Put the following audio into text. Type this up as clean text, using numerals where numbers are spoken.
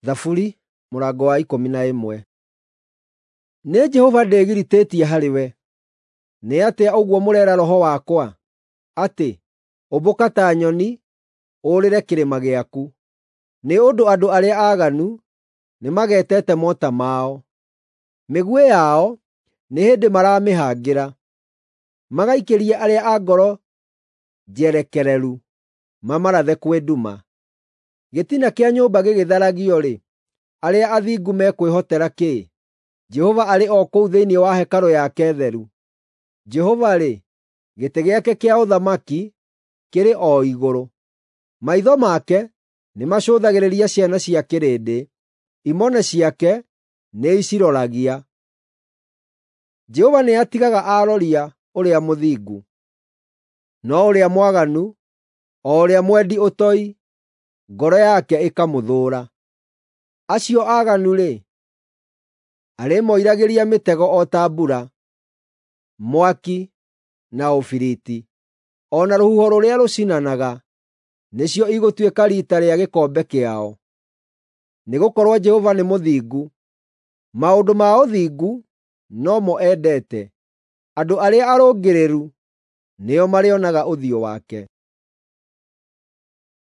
Thaburi mũrango wa 11. Nĩ Jehova ndĩgiritĩtie harĩ we. Nĩ atĩa ũguo mũreera roho wakwa, atĩ, “Ũmbũka ta nyoni, ũũrĩre kĩrĩma gĩaku”? Nĩ ũndũ andũ arĩa aaganu nĩmagetete mota mao; mĩguĩ yao nĩ hĩndĩ maramĩhangĩra, magaikĩrie arĩa a ngoro njerekereru mamarathe kwĩ nduma. Gĩtina kĩa nyũmba gĩgĩtharagio-rĩ, arĩa athingu mekwĩhotera kĩ? Jehova arĩ o kũu thĩinĩ wa hekarũ yake theru; Jehova-rĩ, gĩtĩ gĩake kĩa ũthamaki kĩrĩ o igũrũ. Maitho make nĩmacũthagĩrĩria ciana cia kĩrĩndĩ; imone ciake nĩiciroragia. Jehova nĩatigaga aaroria ũrĩa mũthingu, no ũrĩa mwaganu, o ũrĩa mwendi ũtoi, ngoro yake ĩkamũthũũra. Acio aaganu-rĩ, arĩmoiragĩria mĩtego o ta mbura, mwaki na ũbiriti, o na rũhuho rũrĩa rũcinanaga, nĩcio igũtuĩka riita rĩa gĩkombe kĩao. Nĩgũkorwo Jehova nĩ mũthingu, maũndũ ma ũthingu no mo endete; andũ arĩa arũngĩrĩru nĩo marĩonaga ũthiũ wake.